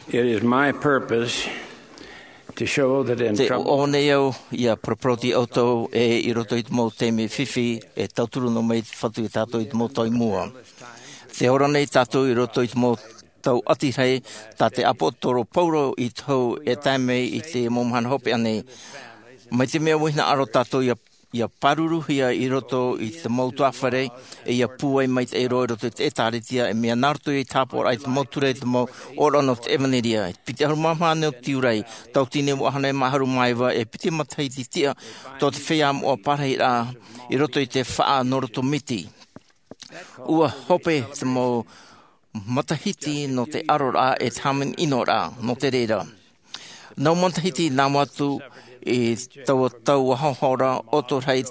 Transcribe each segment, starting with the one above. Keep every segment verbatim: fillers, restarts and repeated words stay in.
It is my purpose to show that in Te trouble ʻō nei au ia paraparau atu ia ʻoutou e i roto i te mau taime fifi e tauturu noa mai te Fatu ia tātou i te mau tau i mua. Te ora nei tātou i roto i te mau tau ʻati rahi tā te ʻāpōsetolo Paulo i te hau e tae mai i te mau mahana hopeʻa nei. Mai te mea ua hinaʻaro tātou ia ia pāruruhia i roto i te mau utuāfare, e ia pūai maitaʻi roa i roto i te ʻĒtārētia, e mea nā roto i te hāpaʻoraʻa i te mau ture, i te mau ʻōroʻa nō te ʻevanelia. Piti ʻahuru mā maha nō te tiurai, tauatini e vaʻu ʻahuru mā iva, e piti matahiti tiʻa tō te feiā moʻa parahiraʻa i roto i te faʻa nō roto miti. Ua hope te mau matahiti nō te ʻaroraʻa e te hāmani ʻino ra nō te reira. Nau matahiti nā mua atu i taua tau ʻahoʻaho ra, ʻoto rahi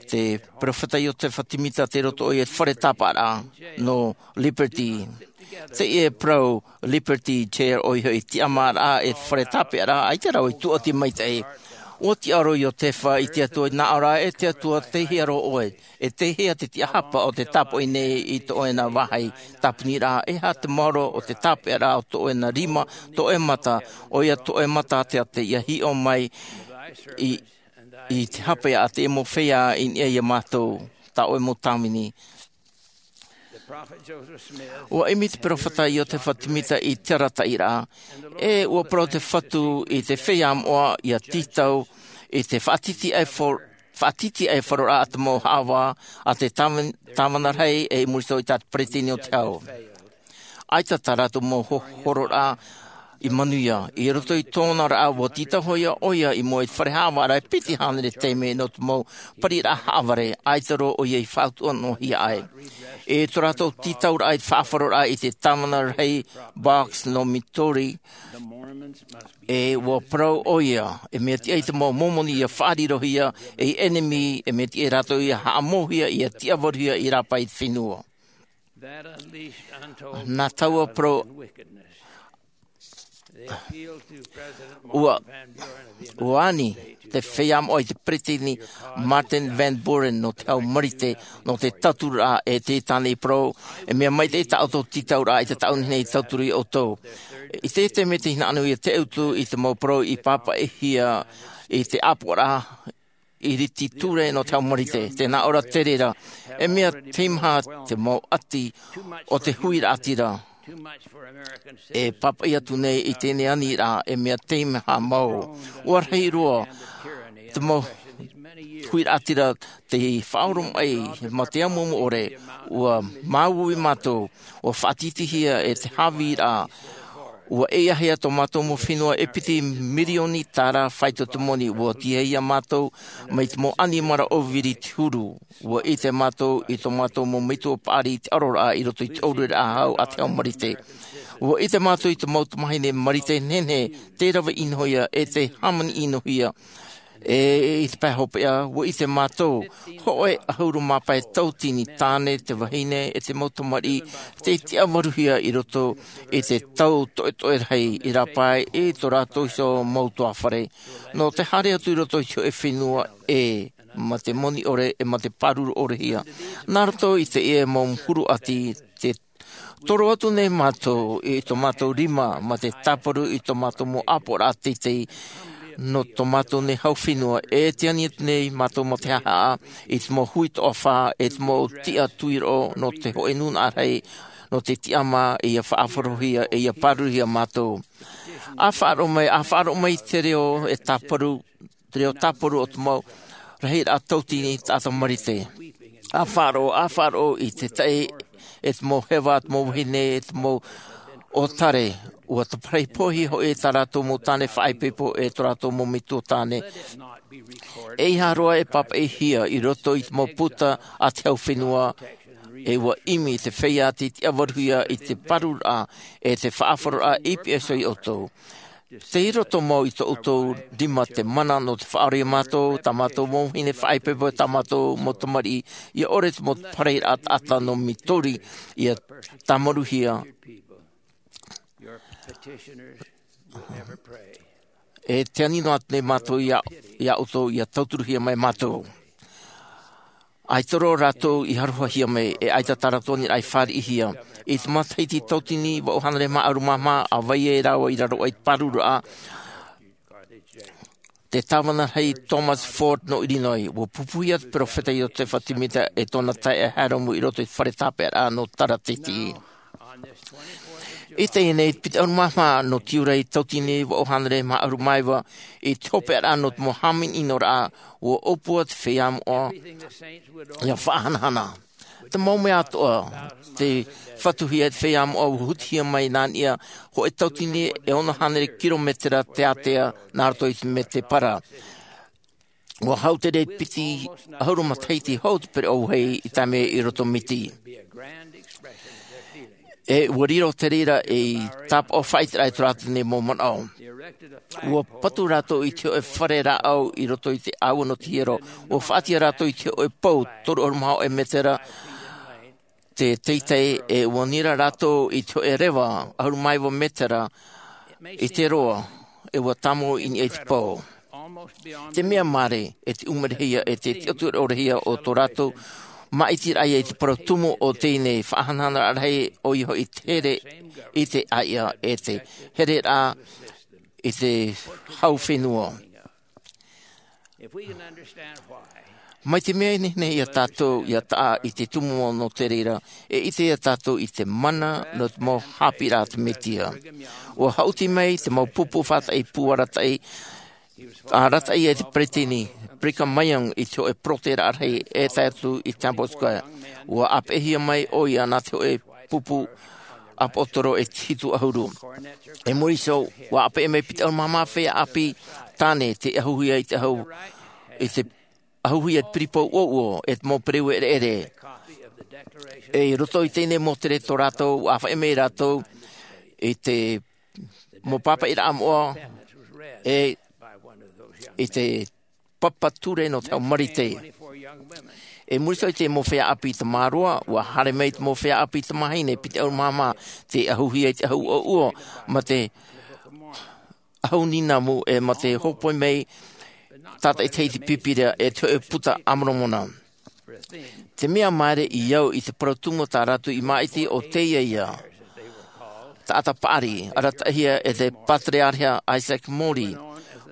te peropheta Iosefa Semita tei roto ʻoia i te fare tāpaʻaraʻa nō Liberty. Teie parau Liberty Chair ʻoia hoʻi tiʻamāraʻa e te fare tāpaʻaraʻa, ʻaita rā ʻoe i tūʻati maitaʻi. Ua tiʻa roa Iosefa i te Atua, nā ʻō ra e te Atua, tei hea roa ʻoe? E tei hea te tiʻahapa o te tāpoʻi nei i tō ʻoe na vāhi tāpuni ra? E aha te maoro o te tāpaʻaraʻa o tō ʻoe na rima, tō ʻoe mata, ʻoia tō ʻoe mata te ate ia hiʻo mai i, i te hape a te mau feiā i niʻa ia mātou, tā ʻoe mau tāvini? Ua ʻimi te peropheta Iosefa Semita i te arataʻiraʻa, e ua parau te Fatu i te feiā moʻa ia tītau i te faʻatitiʻaifaro faʻatitiʻaifaroraʻa a te mau haʻavā a te tāvana, tāvana rahi, e i muri iho i tā te peresideni o te hau. ʻAita tā rātou mau ho-, hororaʻa i manuia. I roto i tōna raʻa, ua tītau hoʻi ʻoia i mua i te fare haʻavāraʻa e piti hānere taime nō te mau pariraʻa haʻavare, ʻaita roa ʻoia i faʻautuʻa noa hia ai. I tō rātou tītauraʻa i te faʻaʻaroraʻa i te tāvana rahi Boggs nō Missouri, e ua parau ʻoia, e mea tiʻa i te mau Mōmoni ia faʻarirohia ei ʻenemi, e mea tiʻa ia rātou ia haʻamouhia, ia tiʻavaruhia i rāpae i te fenua. Nā taua parau, ua, ua ani te feiā moʻa i te peresideni Martin Van Buren nō te hau Marite, nō te tautururaʻa, e tē tāna i parau, e mea maitaʻi tā ʻoutou tītauraʻa i te taʻu nei i tauturu ia ʻoutou. I te taime tē hinaʻaro nei ia te ʻutu i te mau parau i pāpaʻihia i te ʻāpoʻoraʻa iriti ture nō te hau Marite, tē nā ʻō ra te reira, e mea teimaha te mau ʻati o te huiraʻatira e pāpaʻi atu nei i teie nei aniraʻa, e mea teimaha mau. Ua rahi roa te mau huiraʻatira tei faʻaoromaʻi mai te amuamu ʻore, ua māuiui mātou, ua faʻatītīhia e te haviraʻa, ua ʻeiaha tō mātou mau fenua e piti mirioni tāra faito te moni, ua tīaʻi ia mātou mai te mau ʻanimara ʻōviri i te huru. Ua ʻite mātou i tō mātou mau metua paʻari i te ʻaroraʻa i roto i te ʻōureraʻa hau a te hau Marite. Ua ʻite mātou i te mau tamāhine Marite nehenehe tē rave ʻinohia e tē hāmani ʻinohia. E i te pae hopeʻa, ua ʻite mātou hōʻē ʻahuru mā pae tauatini tāne, te vahine, e te mau tamariʻi tei tiʻavaruhia i roto i te tau toʻetoʻe rahi i rāpae i tō rātou iho mau utuāfare, nō te haere atu i roto i te hōʻē fenua ʻē, mā te moni ʻore, e mā te pāruru ʻorehia. Nā roto i teie mau huru ʻati, tē toro atu nei mātou i tō mātou rima, mā te tāparu i tō mātou mau ʻāpoʻoraʻa teitei, nō tō mātou nei hau fenua, e tē ani atu nei mātou mā te haʻahaʻa i te mau hui toʻafā, e te mau tiʻa tuiroʻo nō te hōʻē nūnaʻa rahi, nō te tiʻamā, e ia faʻaʻafarohia, e ia pāruruhia mātou. ʻA faʻaroʻo mai, ʻa faʻaroʻo mai i te reo e tāparu, te reo tāparu o te mau rahiraʻa tauatini taʻata Marite. ʻA faʻaroʻo, ʻa faʻaroʻo i te taʻi, e te mau heva, te mau vahine, e te mau ʻōtare, ua taparahi poʻihia hoʻi tā rātou mau tāne faʻaipoipo, e tō rātou mau metua tāne. ʻEiaha roa e pāpaʻihia i roto i te mau puta a te hau fenua, e ua ʻimi te feiā tei tiʻavaruhia i te pārururaʻa, e te faʻaʻafaroraʻa i pihaʻi iho ia ʻoutou. Tei roto mau i tō ʻoutou rima te mana nō te faʻaora ia mātou, tā mātou mau vahine faʻaipoipo, tā mātou mau tamariʻi, ʻia ʻore te mau parahiraʻa taʻata nō Missouri ʻia tāmaruhia. E tē ani noa atu nei mātou ia, ia ʻoutou, ʻia tauturuhia mai mātou. ʻAita roa rātou i arohahia mai, e ʻaita tā rātou aniraʻa i fāriʻihia. I te matahiti tauatini vaʻu hānere mā ʻahuru mā maha, a vai ai rāua i raro aʻe i te pāruru raʻa, te tāvana rahi Thomas Ford nō Illinois, ua pupuhia te peropheta Iosefa Sāmita e tōna taeaʻe Hyrum i roto i te fare tāpeʻaraʻa nō Tarateti. I teie nei piti ʻahuru mā maha nō Tiurai tauatini vaʻu hānere mā ʻahuru mā iva, i te hopeʻaraʻa nō te mau hāmani ʻino raʻa, ua ʻōpua te feiā moʻa ʻia faʻahanahana. Te mau mea atoʻa, te fatuhia e te feiā moʻa ua hutihia mai nā niʻa hōʻē tauatini e ono hānere kirometera teatea nā roto i te Medebara. Ua hau te reira piti ʻahuru matahiti hou te pereʻoʻo vāhi i tae mai i roto miti. E ua riro te reira ei tāpaʻo faʻaʻiteraʻa i tō rātou nei mau manaʻo. Ua patu rātou i te hōʻē fare rāʻau i roto i te ʻāua nō te hiero. Ua faʻaʻite rātou i te hōʻē pou toru ʻahuru mā hōʻē metera te teitei, e ua nira rātou i te hōʻē reva ʻahuru mā iva metera i te roa, e ua tāmau i niʻa i te pou. Te mea māere, e te ʻumerehia, e te tiʻaturerehia o tō rātou māʻitiraʻa i te parau tumu o teie nei faʻahanahana rahi, ʻoia hoʻi te here i te ʻāiʻa, e te hereraʻa i te hau fenua. Mai te mea e nehenehe ia tātou ʻia taʻa i te tumu nō te reira, e ʻite ia tātou i te mana nō te mau haʻapiʻiraʻa a te Mesia. Ua haʻuti mai te mau pupu faʻataʻi pū arataʻi, arataʻi e te peresideni Brigham Young i te hōʻē poroteraʻa rahi e tae atu i Temple Square. Ua ʻāpeʻehia mai ʻoia nā te hōʻē pupu ʻāpōsetolo e hitu ʻahuru. I muri iho, ua ʻāpeʻe mai piti ʻahuru mā maha feiā ʻāpī tāne tei ʻahuhia i te ʻahu, i te ʻahuhia i te piripoʻi ʻuoʻuo e te mau pereue ʻereʻere. E i roto i teie nei mōtere tō rātou, ua ʻāfaʻi mai rātou i te mau pāpaʻiraʻa moʻa, e i te papa ture nō te hau Marite. I muri iho i te mau feiā ʻāpī tamāroa, ua haere mai te mau feiā ʻāpī tamāhine piti ʻahuru mā maha, tei ʻahuhia i te ʻahu ʻuoʻuo, mā te ʻahu nīnamu, e mā te hōpoi mai tātaʻitahi i te Pīpīria e te hōʻē puta a Moromona. Te mea māere i au i te parau tumu tā rātou i māʻiti ʻo teie ia. Taʻata paʻari, arataʻihia e te Patereareha Isaac Morley,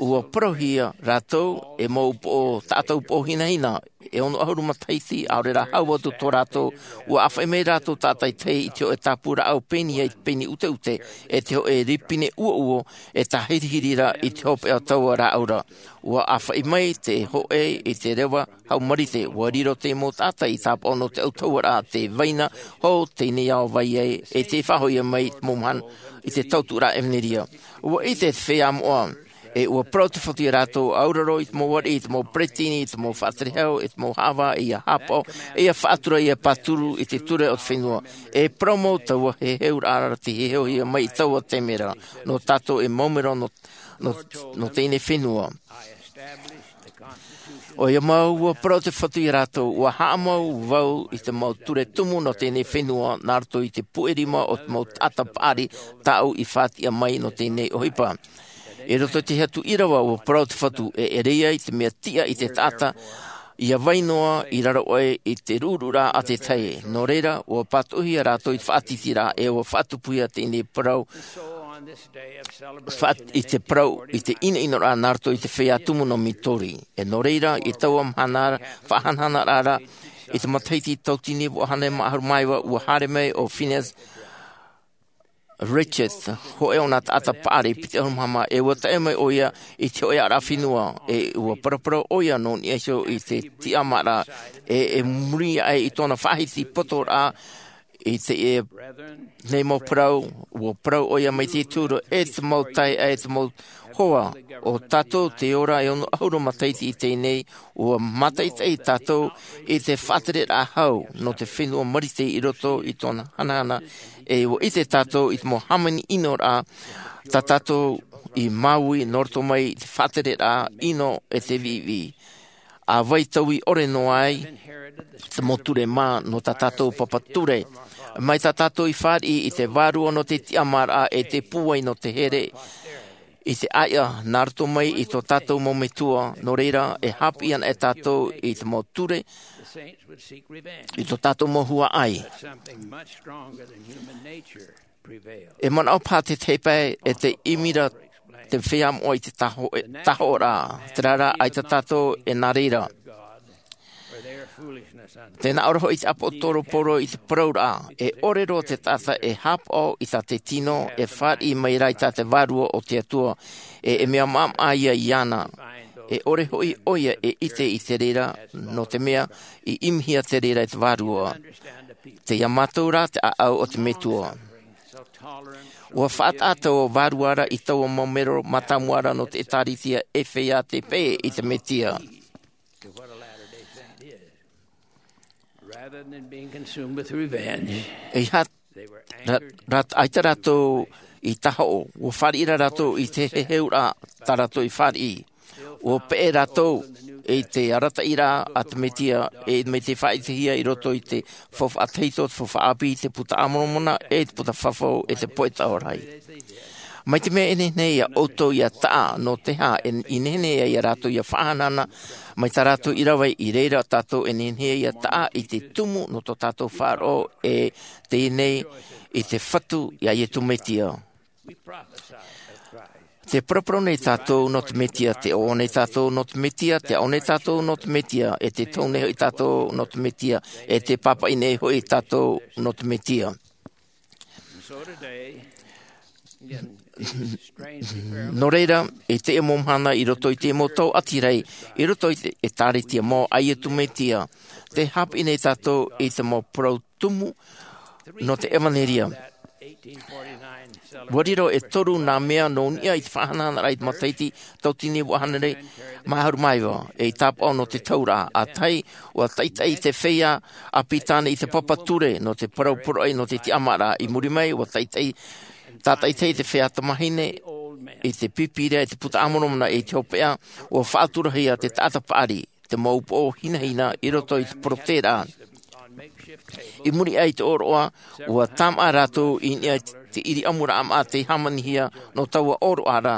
ua parauhia rātou e mau upoʻo, taʻata upoʻo hinahina, e ono ʻahuru matahiti, ʻaore rā hau atu tō rātou, ua ʻāfaʻi mai rātou tātaʻitahi i te hōʻē tāpū rāʻau pēni ai te pēni ʻuteʻute, e te hōʻē ripine ʻuoʻuo, e tāhirihiri ra i te hopeʻa taua rāʻau ra. Ua ʻāfaʻi mai te hōʻē i te reva hau Marite, ua riro te mau taʻata i tāpaʻo nō te ʻautahuʻaraʻa te vaina hou teie nei ao vai ai, e tei faʻahoʻihia mai i te mau mahana i te tautuʻaraʻa ʻevanelia. Ua ʻite te feiā moʻa, e ua parau te fatu ia rātou, ʻauraro i te mau ariʻi, i te mau peresideni, i te mau faʻaterehau, i te mau haʻavā, ʻia haʻapaʻo, ʻia faʻatura, ʻia pāturu i te ture o te fenua. E parau mau taua heheuraʻa ra tei heheuhia mai i taua taime ra, nō tātou e mau mero nō, nō, nō teie nei fenua. ʻOia mau, ua parau te fatu ia rātou, ua haʻamau vau i te mau ture tumu nō teie nei fenua, nā roto i te puʻe rima o te mau taʻata paʻari tāʻu i faʻatiʻa mai nō teie nei ʻohipa. I roto i te hatu ʻīrava, ua parau te fatu, e ʻere ia i te mea tiʻa i te taʻata ʻia vai noa i raro aʻe i te ruʻuruʻuraʻa a te tahi. Nō reira, ua pātoʻihia rātou i te faʻatītīraʻa, e ua faʻatupuhia teie nei parau, faʻa-, i te parau, i te ʻinoʻinoraʻa nā roto i te feiā tumu nō Missouri. E nō reira, i taua mahana ra, faʻahanahanaraʻa ra, i te matahiti tauatini vaʻu hānere mā ʻahuru mā iva, ua haere mai ʻo Phineas Richards, hōʻē o nā taʻata paʻari piti ʻahuru mā maha, e ua tae mai ʻoia i te hōʻē ʻāraʻa fenua, e ua paraparau ʻoia nō niʻa iho i te tiʻamāraʻa, e, e muri aʻe i tōna faʻahiti potoraʻa, i teie nei mau parau, ua parau ʻoia mai te Atua, e te mau taeaʻe, e te mau hoa, ʻo tātou tē ora e ono ʻahuru matahiti i teie nei, ua mātaʻitaʻi tātou i te faʻatereraʻa hau nō te fenua Marite i roto i tōna hanahana, e ua ʻite tātou i te mau hāmani ʻino ra, tā tātou i māuiui nō roto mai i te faʻatereraʻa ʻino e te viʻiviʻi. ʻA vai taui ʻore noa ai te mau ture mā nō tā tātou papa ture. Mai tā tātou i fāriʻi i te vārua nō te tiʻamāraʻa e te pūai nō te here, i te ʻāiʻa nā roto mai i tō tātou mau metua, nō reira e hāpiʻi ana e tātou i te mau ture i tō tātou mau huaʻai. E manaʻo paha te tēpae e te ʻimi ra te feiā moʻa i te taho- tahoʻaraʻa, terā rā ʻaita tātou e nā reira. Tē nā ʻō ra hoʻi te ʻāpōsetolo paulo i te parauraʻa, e ʻore roa te taʻata e hāpaʻo i tā te tino e fāriʻi mai rā i tā te vārua o te atua, e e mea maʻamaʻa ia iāna. E ʻore hoʻi ʻoia e ʻite i te reira, nō te mea i ʻimihia te reira e te vārua. Tei iā mātou rā te ʻāʻau o te metua. Ua faʻataʻa taua vārua ra i taua mau mero mātāmua ra nō te ʻēkālesia e feiā tei pēʻe i te mesia. Rather than being consumed with revenge, e iha ra- ra- ʻaita rātou i tahoʻo, ua fāriʻi ra rātou i te heheuraʻa tā rātou i fāriʻi. Ua pēʻe rātou i te arataʻiraʻa a te mesia, e mai te faʻaʻitehia i roto i te faufaʻa tahito, te faufaʻa ʻāpī, te puta a moromona, e te puta fafau, e te poʻetaʻa rahi. Mai te mea e nehenehe ia ʻoutou ia taʻa nō te hā e i nehenehe ai ia rātou ia faʻahanahana mai tā rātou i rave, i reira tātou e nehenehe ia taʻa i te tumu nō tō tātou faʻaroʻo e teie nei i te fatu iā iesu mesia. Te paraparau nei tātou nō te mesia, te ʻoaʻoa nei tātou nō te mesia, te aʻo nei tātou nō te mesia, e te tohu nei hoʻi tātou nō te mesia, e te pāpaʻi nei hoʻi tātou nō te mesia. Nō reira, i teie mau mahana i roto i te mau tau ʻati rahi, i roto i te ʻēkālesia mau a iesu mesia, te hāpiʻi nei tātou i te mau parau tumu nō te ʻevanelia. Ua riro e toru nā mea nō niʻa i te faʻahanahanaʻa i te matahiti tauatini vaʻu hānere mā ʻahuru mā iva, e i tāpaʻo nō te tauraʻa. ʻA tahi, ua taʻitaʻi te feiā ʻāpī tāne i te papa ture nō te parau poroʻi nō te tiʻamāraʻa. I muri mai, ua taʻitaʻi tātaʻitahi te feiā tamāhine i te pīpīria i te puta a moromona, i te hopeʻa ua faʻaturahia te taʻata paʻari, te mau upoʻo hinahina i roto i te porotēraʻa. I muri aʻe i te ʻōroʻa, ua tāmā rātou i niʻa i te ʻiriʻamuraʻa maʻa tei hāmanihia nō taua ʻōroʻa ra,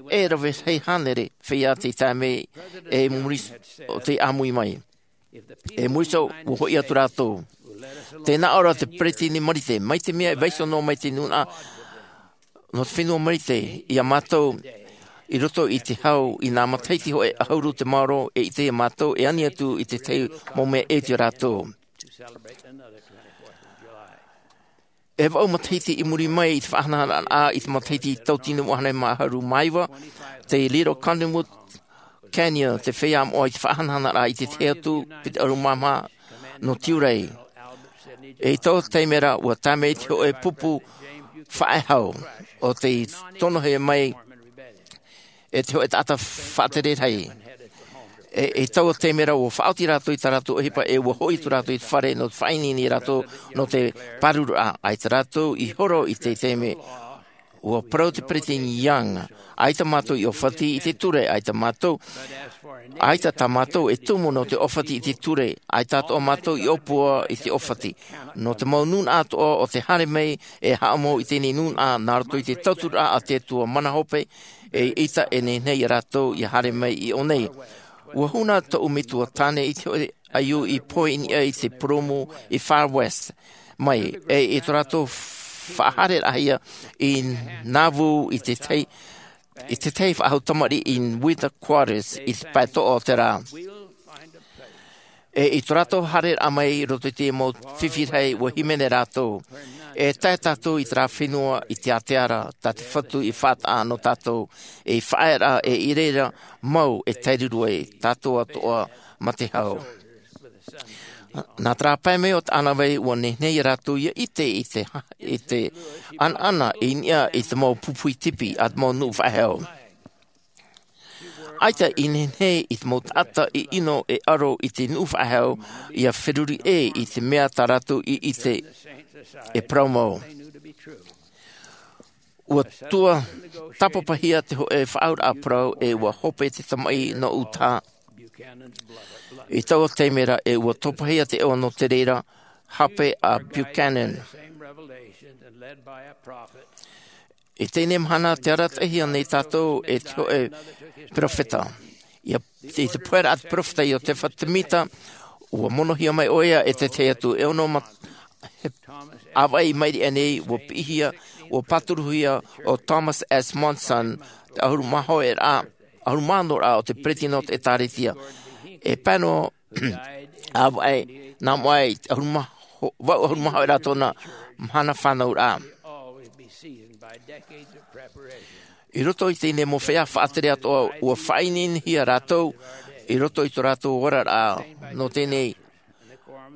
e rave rahi hānere feiā tei tae mai, e muri o tei ʻāmui mai. E muri iho, ua hoʻi atu rātou. Tē nā ʻō ra te peresideni marite, mai te mea e vaiiho noa mai te nūnaʻa nō te fenua marite iā mātou i roto i te hau, i nā matahiti hōʻē ʻahuru te maoro, e ʻite iā mātou e ani atu i te tahi mau mea e ʻite iā rātou. E vaʻu matahiti i muri mai i te faʻahanahanaʻa i te matahiti tauatini vaʻu hānere mā ʻahuru mā iva, te Little Cottonwood Canyon te feiā moʻa i te faʻahanahanaʻa i te tahi atu piti ʻahuru mā maha nō tiurai. E i taua taime ra, ua tae mai te hōʻē pupu faʻehau o tei tonohia mai e te hōʻē taʻata faʻatere rahi. E i taua taime ra, ua faʻaoti rātou i tā rātou ʻohipa, e ua hoʻi atu rātou i te fare nō te faʻaineine iā rātou nō te pārururaʻa. ʻAita rātou i horo i te taime. Ua parau te peresideni Young, ʻaita mātou i ʻōfati i te ture, ʻaita mātou, ʻaita tā mātou e tumu nō te ʻōfati i te ture, ʻaita atoʻa mātou i ʻōpua i te ʻōfati. Nō te mau nūnaʻa atoʻa o te haere mai, e haʻamau i teie nūnaʻa nā roto i te tauturu a te atua mana hope, e ʻaita e nehenehe iā rātou ia haere mai i ʻō nei. Ua huna tōʻu metua tāne i te hōʻē ʻaiū i pohe i niʻa i te purūmu i Far West mai, e i tō rātou faʻahaereraʻahia i Nauvoo i te tahi, i te tahi faʻahou tamariʻi i Winter Quarters i te pae toʻa o te rā. E i tō rātou haereraʻa mai i roto i te mau fifi rahi, ua hīmene rātou, e tae tātou i terā fenua i te ātea ra, tā te Fatu i faʻataʻa nō tātou, e i faʻaearaʻa, e i reira mau e taeruru ai tātou atoʻa mā te hau. Nā terā pae mai o te ʻānāvai, ua nehenehe iā rātou ia ʻite i te, i te ʻanaʻana i niʻa i te mau pupuhi tipi a te mau nuʻu faʻehau. ʻAita i nehenehe i te mau taʻata i ʻino e ʻaro i te nuʻu faʻehau ia feruri ʻē i te mea tā rātou i ʻite e parau mau. Ua tuatāpapahia te hōʻē faʻaauraʻa parau, e ua hope te tamaʻi nō Utah. I taua taime ra, e ua topahia te ʻoa nō te reira, hape a Buchanan. I teie mahana te arataʻihia nei tātou e te hoʻe peropheta. Ia i te pohe raʻa te peropheta iosepha semita, ua monohia mai ʻo ia e te tahi atu e ono ma ʻāvaʻe i maʻiri aʻe nei ua piʻihia, ua pāturuhia ʻo thomas s monson, te ʻahuru mā hoʻe raʻa ʻahuru mā ono raʻa o te peresideni o te ʻēkālesia. E pae noa ʻāvaʻe nā mua i te ʻahuru mā hoʻe raʻa tōna mahana fānauraʻa. I roto i teie mau feiā faʻatere atoʻa ua faʻaineinehia rātou i roto i tō rātou oraraʻa nō teie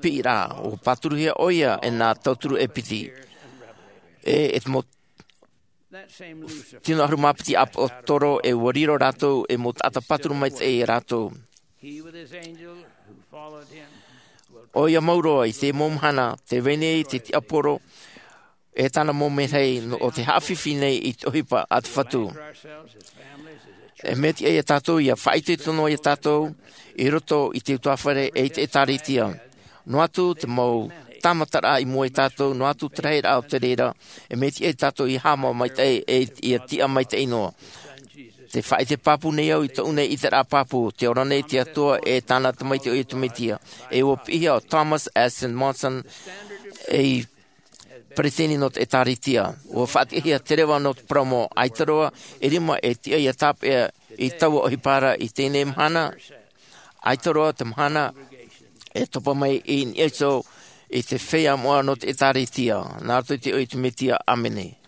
piʻiraʻa. Ua pāturuhia ʻo ia e nā tauturu e piti e e te mau tino ʻahuru mā piti ʻāpōsetolo e ua riro rātou e mau taʻata pāturu maitaʻi iā rātou. ʻO ia mau roa i te mau mahana te vai nei te tiaporo e tāna mau merahi o te haʻafifi nei i te ʻohipa a te fatu. E mea tiʻa iā tātou ia faʻaitoito noa iā tātou i roto i te utuāfare e i te ʻēkālesia. Noa atu te mau tāmataraʻa i mua iā tātou, noa atu te rahiraʻa o te reira, e mea tiʻa iā tātou ia haʻamau maitaʻi e ia tiʻa maitaʻi noa. Te faʻaite pāpū nei au i tōʻu nei ʻiteraʻa pāpū, te ora nei te atua e tāna tamaiti ʻo iesu mesia. E ua piʻihia ʻo thomas s monson ei peresideni nō te ʻēkālesia. Ua faʻatiʻahia te reva nō te parau mau ʻaita roa e rima e tiʻa ia tāpeʻa i taua ʻohipa ra i teie mahana. ʻAita roa te mahana e topa mai i niʻa iho i te feiā moʻa nō te ʻēkālesia. Nā roto i te iʻoa o iesu mesia, ʻāmene.